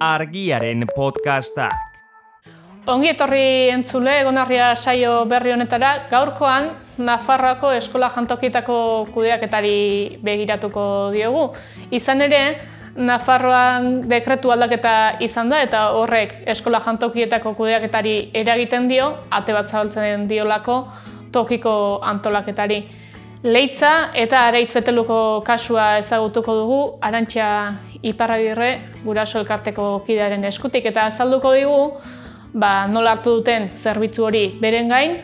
Argiaren podcastak. Ongi etorri entzule, Egonarria saio berri honetara, gaurkoan Nafarroako eskola jantokietako kudeaketari begiratuko diogu. Izan ere, Nafarroan dekretu aldaketa izan da eta horrek eskola jantokietako kudeaketari eragiten dio, ate bat zabaltzen diolako tokiko antolaketari. Leitza eta Areitz Beteluko kasua ezagutuko dugu, Arantxa Iparragirre guraso elkarteko kidearen eskutik, eta azalduko digu nola hartu duten zerbitzu hori beren gain,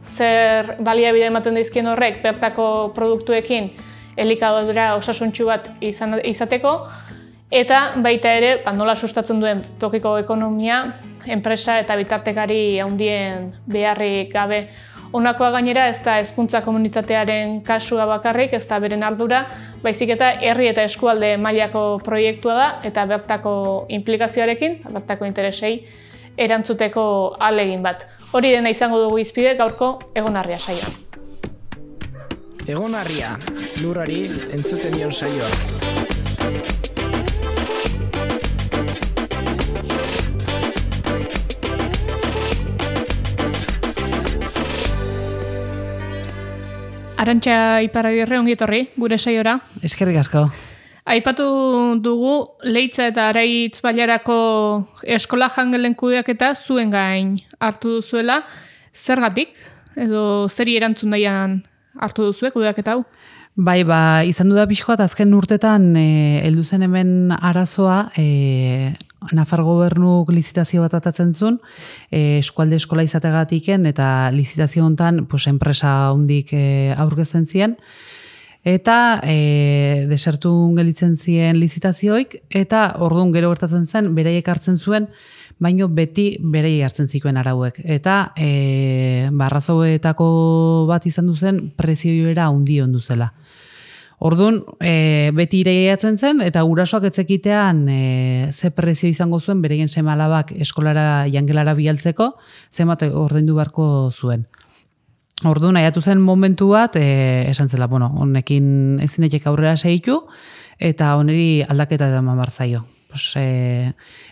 zer baliabide ematen dizkien horrek bertako produktuekin elikadura osasuntsu bat izateko, eta baita ere nola sustatzen duen tokiko ekonomia, enpresa eta bitartekari handien beharrik gabe. Honakoa gainera ez da hezkuntza komunitatearen kasua bakarrik, ez da beren ardura, baizik eta herri eta eskualde mailako proiektua da eta bertako inplikazioarekin, bertako interesei erantzuteko ahalegin bat. Hori dena izango dugu hizpide gaurko Egonarria saioan. Egonarria, lurrari entzuten dion saioa. Arantxa Iparragirre, ongi etorri, gure saiora. Eskerrik asko. Aipatu dugu Leitza eta Areitz bailarako eskola jangelen kudeaketa zuen gain hartu duzuela. Zergatik? Edo zeri erantzun daian hartu duzue kudeaketa hau? Bai, izan du da pixkoat azken urtetan heldu zen hemen arazoa, Nafar gobernuk lizitazio bat atatzen zuen, eskualde eskola izategatiken, eta lizitazio hontan enpresa hondik aurkezten ziren, eta desertun gelitzen ziren lizitazioik, eta orduan gero gertatzen zen, beraiek hartzen zuen, baino beti beraiek hartzen zituen arauek. Eta arrazoetako bat izan duzen prezioera handi ondu zela. Orduan, beti ireiatzen zen, eta gurasoak etzekitean ze prezio izango zuen, bereien seme-alabak eskolara, jangelara bialtzeko, zenbat ordaindu beharko zuen. Orduan, aiatu zen momentu bat, esan zela, honekin ezinetek aurrera segitu, eta honeri aldaketa eman behar zaio.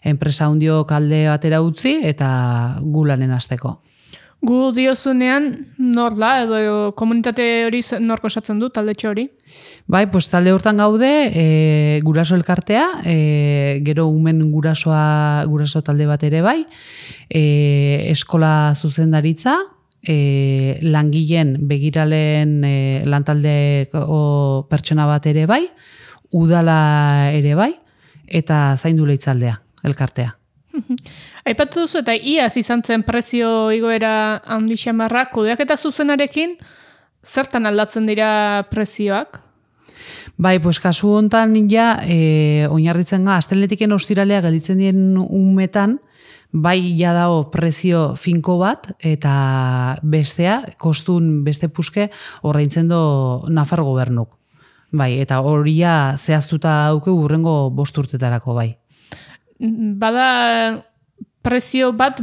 Enpresa hundiok alde batera utzi, eta gu lanen hasteko. Gu diozunean nor da, edo komunitate hori norko osatzen du, taldetxo hori? Bai, talde hortan gaude, guraso elkartea, gero umen guraso talde bat ere bai, eskola zuzendaritza, langileen begiralen lantaldeko pertsona bat ere bai, udala ere bai, eta zaindu leitzaldea, elkartea. Aipatu duzu eta iaz izan zen prezio igoera handi xamarra, kudeaketa zuzenarekin zertan aldatzen dira prezioak? Bai, kasu hontan oinarritzen ga, asteletiken ostiralea gelditzen dien umetan, bai dago prezio finko bat, eta bestea, kostun beste puske, ordaintzen do Nafar gobernuk. Bai, eta horia zehaztuta dauke hurrengo 5 urtetarako, bai. Bada prezio bat,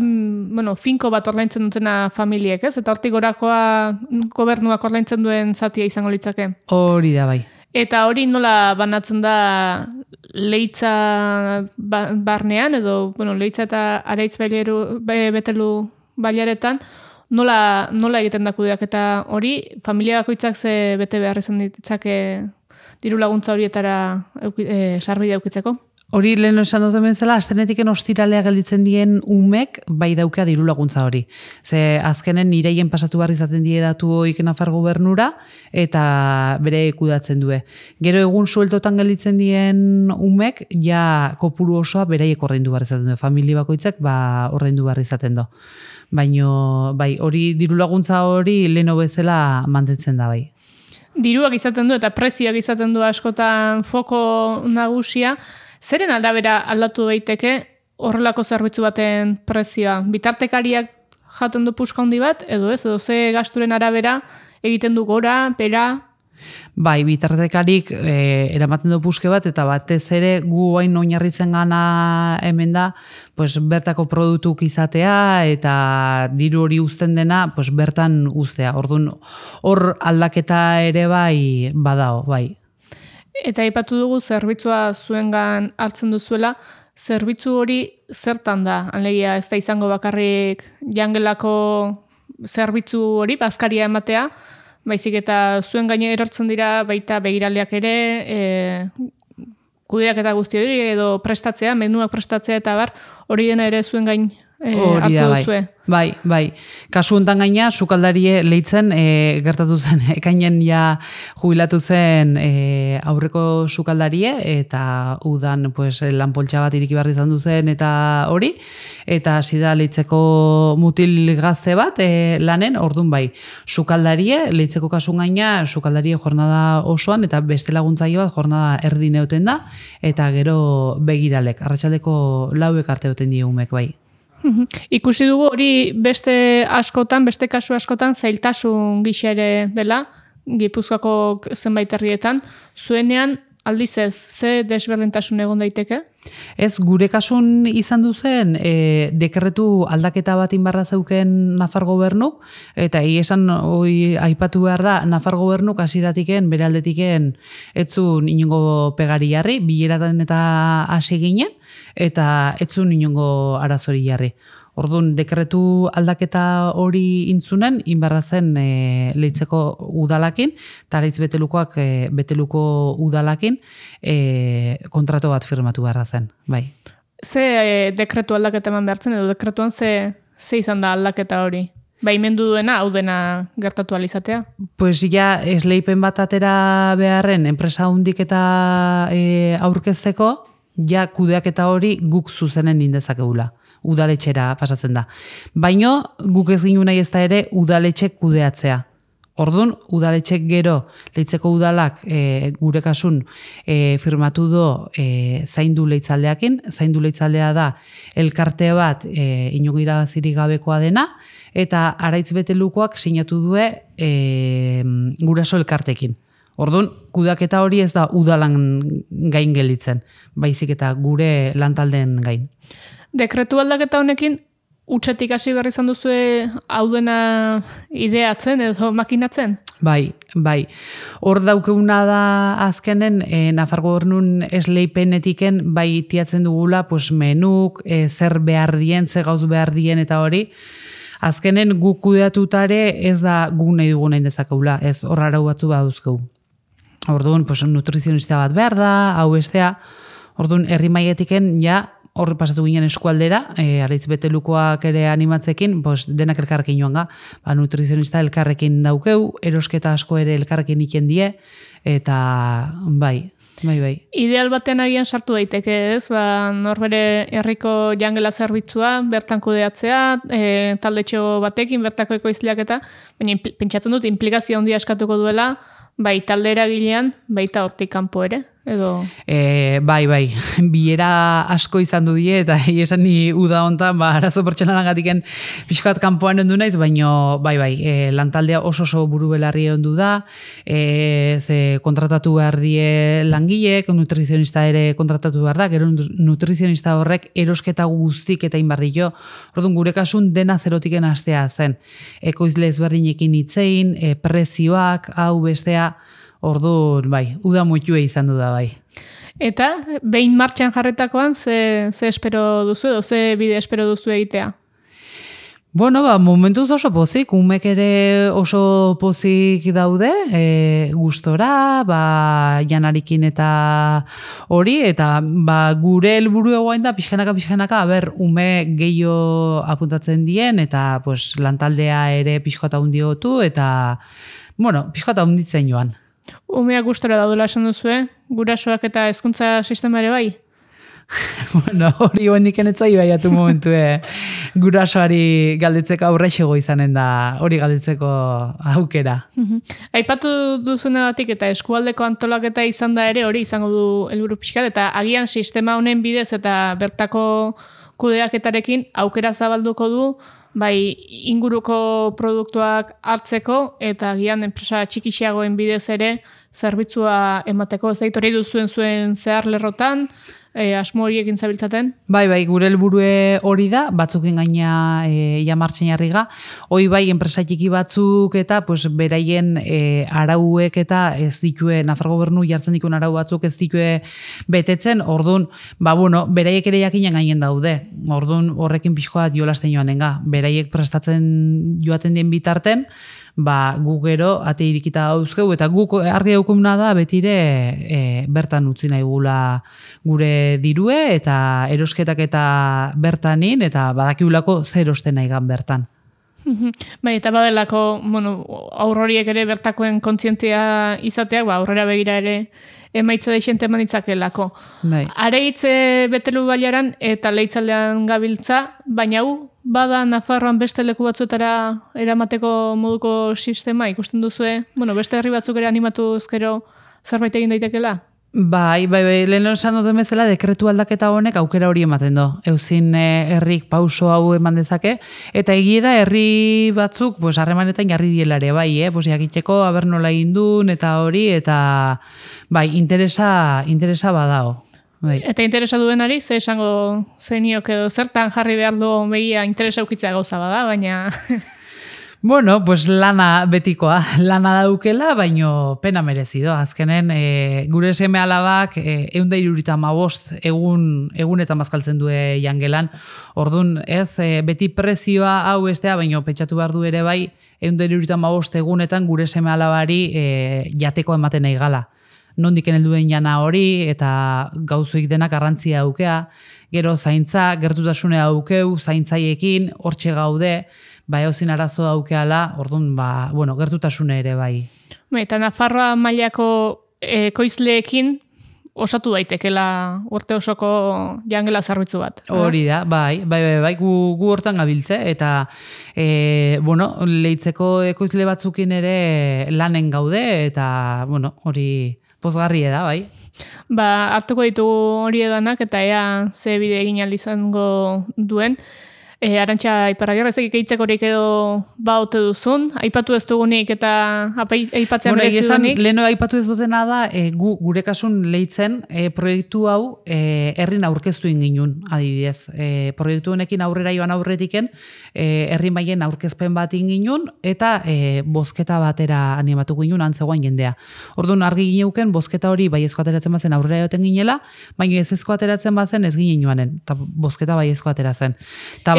finko bat ordaintzen dutena familiek, ez? Eta hortik gorakoa gobernuak ordaintzen duen zatia izango litzake. Hori da, bai. Eta hori nola banatzen da Leitza barnean, edo Leitza eta Areitz Betelu bailaretan, nola egiten da kudeaketa hori, familia bakoitzak ze bete behar izan ditzake diru laguntza horietara sarbidea aukitzeko? Hori lehen esan dut bezala, astenetiken ostiralea gelditzen dien umek bai daukea diru laguntza hori. Ze azkenen ireien pasatu behar izaten die datu hoik Nafar gobernura eta bere kudatzen due. Gero egun sueltotan gelditzen dien umek ja kopuru osoa beraiek ordaindu behar izaten du. Familia bakoitzak ordaindu behar izaten du. Baina bai, hori diru laguntza hori leheno bezala mantentzen da bai. Diruak izaten du eta prezioak izaten du askotan foko nagusia. Zeren aldabera aldatu daiteke horrelako zerbitzu baten prezioa? Bitartekariak jaten du puska handi bat, edo ez? Edo ze gasturen arabera egiten du gora, bera? Bai, bitartekarik eramaten du puske bat, eta batez ere gu hain oinarritzen gana hemen da, bertako produktuk izatea, eta diru hori uzten dena, bertan uztea. Orduan, hor aldaketa ere bai badao, bai. Eta aipatu dugu zerbitzua zuengan hartzen duzuela, zerbitzu hori zertan da? Alegia ez da izango bakarrik jangelako zerbitzu hori, bazkaria ematea, baizik eta zuen gaine erortzen dira baita begiraleak ere, kudeak eta guzti hori, edo prestatzea, menuak prestatzea eta bar, hori dena ere zuen gain hartu duzue. Bai. Kasu hontan gaina, sukaldarie leitzen gertatu zen, ekainen ja jubilatu zen aurreko sukaldarie, eta udan pues, lanpoltsa bat iriki barri izan duzen eta hori, eta hasi da leitzeko mutil gazte bat lanen, ordun bai, sukaldarie, leitzeko kasun gaina, sukaldarie jornada osoan, eta beste laguntzaile bat jornada erdi neuten da, eta gero begiralek, arratsaldeko 4 arte euten die umek bai. Ikusi dugu hori beste kasu askotan zailtasun gisa ere dela, Gipuzkoako zenbait herrietan, zuenean aldiz ez, ze desberdintasun egon daiteke? Ez, gure kasun izan duzen, dekretu aldaketa bat inbarra zeuken Nafar gobernuk, eta esan aipatu behar da, Nafar gobernuk hasieratiken bere aldetiken etzun inongo pegari jarri, bileratan eta hasi ginen, eta etzun inongo arazori jarri. Orduan, dekretu aldaketa hori intzunen, inbarra zen leitzeko udalakin, eta leitz beteluko udalakin kontratu bat firmatu beharra zen, bai. Ze dekretu aldaketa eman behartzen, edo dekretuan ze izan da aldaketa hori? Baimendu duena, hau dena gertatu alizatea? Pues ja, esleipen bat atera beharren, enpresa hundik eta aurkezteko, ja kudeaketa hori guk zuzenen indezakegula. Udaletxera pasatzen da. Baino, guk ez ginu nahi ez da ere udaletxek kudeatzea. Orduan, udaletxek gero, leitzeko udalak gure kasun firmatu do zaindu leitzaldeakin. Zaindu leitzaldea da elkarte bat inongo irabazirik gabekoa dena, eta Araitz Betelukoak sinatu due guraso elkartekin. Orduan, kudeaketa hori ez da udalan gain gelditzen, baizik eta gure lantaldeen gain. Dekretu aldaketa honekin, utxetik hasi behar izan duzue hau dena ideatzen edo makinatzen? Bai. Hor daukeguna da azkenen, Nafar gobernun esleipenetiken bai tiatzen dugula, pues menuk, zer behar dien, zer gauz behar dien eta hori, azkenen guk kudeatutare ez da guk nahi dugu nahi dezakegula, ez hor arau batzu baduzkegu. Orduan, pues, nutrizionista bat behar da, hau bestea, orduan, herri maietiken, ja, horri pasatu ginen eskualdera, Araitz Betelukoak ere animatzekin, pues, denak elkarrekin joan ga, nutrizionista elkarrekin daukeu, erosketa asko ere elkarrekin iken die, eta bai. Ideal batean agian sartu daiteke, ez? Norbere herriko jangela zerbitzua, bertan kudeatzea, taldetxo batekin, bertako ekoizleak eta, baina pentsatzen dut, implikazio handia eskatuko duela, bai talde eragilean, baita hortik kanpo ere, edo? Bai, bilera asko izan du die, eta esan ni uda hontan, arazo pertsonalagatiken pixkat kanpoan ondu naiz, baina bai, lantaldea oso buru belarri ondu da, ze kontratatu behar die langileek, nutrizionista ere kontratatu behar da, gero nutrizionista horrek erosketa guztik eta inbardio, orduan gure kasun dena zerotiken hastea zen, ekoizle ezberdinekin hitzein, prezioak, hau bestea, orduan, bai, uda moitue izan du da, bai. Eta, behin martxan jarretakoan, ze espero duzu edo, ze bide espero duzu egitea? Bueno, momentuz oso pozik, umek ere oso pozik daude, gustora, janarikin eta hori, eta gure helburu egoain da, pixkanaka, ume gehiago apuntatzen dien, eta pues, lantaldea ere pixkata hundiotu, eta, bueno, pixkata hunditzen joan. Umeak gustora daudela esan duzue, gurasoak eta hezkuntza sistema ere bai? Bueno, hori hondik enetzai baiatu momentu, gurasoari galdetzeko aurrexego izanen da, hori galdetzeko aukera. Aipatu duzunagatik eta eskualdeko antolaketa izan da ere, hori izango du helburu pixkat, eta agian sistema honen bidez eta bertako kudeaketarekin aukera zabalduko du, bai inguruko produktuak hartzeko eta agian enpresa txikixiagoen bidez ere zerbitzua emateko. Ez hori duzuen zuen zehar lerrotan, asmo horiekin zabiltzaten? Bai, gure helburue hori da, batzukin gaina ja martxen jarriga. Hoi bai, enpresa txiki batzuk eta pues, beraien arauek eta ez ditue, Nafar gobernu jartzen dikun arau batzuk ez ditue betetzen, orduan, beraiek ere jakinen gainen daude. Orduan, horrekin pixkoa jolasten joanenga. Beraiek prestatzen joaten dien bitarten, guk gero ate irikita dauzkegu eta guk argi daukumna da betire bertan utzi nahi gula gure dirue eta erosketak eta bertanin eta badakiulako zer osten nahi gan bertan. Bai, eta badelako, aurroriek ere bertakoen kontzientzia izateak, aurrera begira ere emaitza deixente eman ditzakelako. Bai. Areitze betelu bailaran eta leitzaldean gabiltza, baina bada Nafarroan beste leku batzuetara eramateko moduko sistema ikusten duzue? Beste herri batzuk ere animatu ezkero zerbait egin daitekela? Bai, lehen esan duten bezala dekretu aldaketa honek aukera hori ematen du. Euzin herrik pauso hau eman dezake, eta egia da herri batzuk harremanetan jarri dielare, jakiteko aber nola egin duen eta hori, eta interesa badao. Bai. Eta interesa duenari, ze esango zeniok edo zertan jarri behar du begia interesa ukitzea gauza bada, baina... Lana betikoa, lana daukela, baino pena merezido. Azkenen, gure seme alabak 175 egun eta mazkaltzen du jangelan. Orduan, beti prezioa hau estea, baino pentsatu behar du ere bai, 175 egunetan gure seme alabari jateko ematen nahi gala. Nondik helduen jana hori eta gauzoik denak garrantzia aukea, gero zaintza, gertutasunea aukeu, zaintzaiekin, hortxe gaude, hauzin arazo aukeala, orduan, gertutasune ere bai. Eta Nafarroa mailako ekoizleekin osatu daitekela urte osoko jangela zerbitzu bat. Hori da, bai, gu hortan gabiltze, eta leitzeko ekoizle batzukin ere lanen gaude, eta hori pozgarri da, bai. Hartuko ditugu hori edanak, eta ea ze bide egin izango duen. Arantxa Iparragirre, ezek ikeitzek horiek edo baute duzun, aipatu ez dugunik eta aipatzea merezi dugunik? Leheno aipatu ez dutena da, gure kasun leitzen proiektu hau herrin aurkeztu inginun, adibidez. Proiektu honekin aurrera joan aurretiken, herri mailen aurkezpen bat inginun, eta bozketa batera animatu ginen antzegoan jendea. Orduan argi gineuken, bozketa hori baiezko ateratzen bazen aurrera joten ginela, baina ez ezko ateratzen bazen ez ginen joanen, eta bozketa baiezko ateratzen.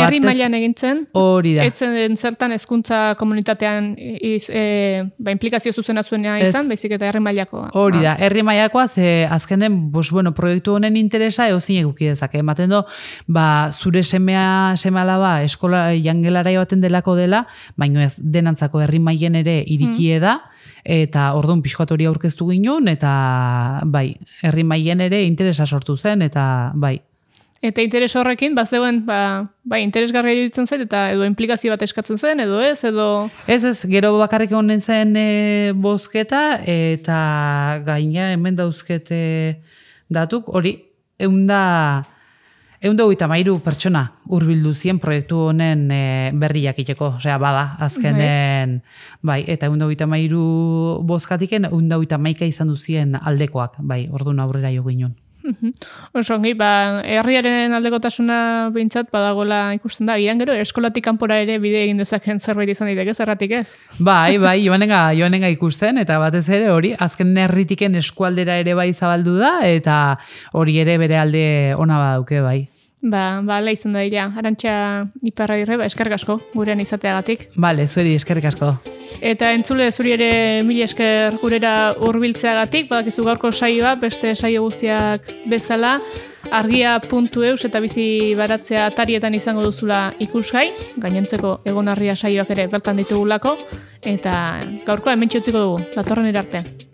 Herri mailan egintzen, hori da. Etzen zertan hezkuntza komunitatean implikazio zuzena zuena izan, baizik eta herri mailakoa. Hori da, herri mailakoa, ze azken den, proiektu honen interesa eozin eguki dezake. Ematen do, zure seme alaba eskola jangelara baten delako dela, baina ez denantzako herri mailen ere irikie da, eta orduan pixkoat hori aurkeztu ginen, eta herri mailen ere interesa sortu zen, eta bai. Eta interes horrekin, zegoen, interesgarria iruditzen zait, eta edo implikazio bat eskatzen zen, edo ez, edo... Ez, gero bakarrik honen zen bozketa, eta gaina hemen dauzkete datuk, hori, 153 pertsona hurbildu zien proiektu honen berri jakiteko, osea, bada, azkenen, eta 153 bozkatiken, 151 izan duzien aldekoak, orduan aurrera jo ginen. Osongi, herriaren aldekotasuna behintzat badagoela ikusten da, gian gero, eskolatik kanpora ere bide egin dezaken zerbait izan daiteke, zerratik ez? Joanenga ikusten, eta batez ere hori, azken herritiken eskualdera ere bai zabaldu da, eta hori ere bere alde ona badauke bai. Hala izan da dira. Arantxa Iparragirre, eskerrik asko gurean izateagatik. Zueri eskerrik asko. Eta entzule, zuri ere mila esker gurera hurbiltzeagatik, badakizu gaurko saioa, beste saio guztiak bezala, argia.eus eta bizi baratzea atarietan izango duzula ikusgai, gainontzeko egonarria saioak ere bertan ditugulako, eta gaurkoa hementxe utziko dugu, datorren arte.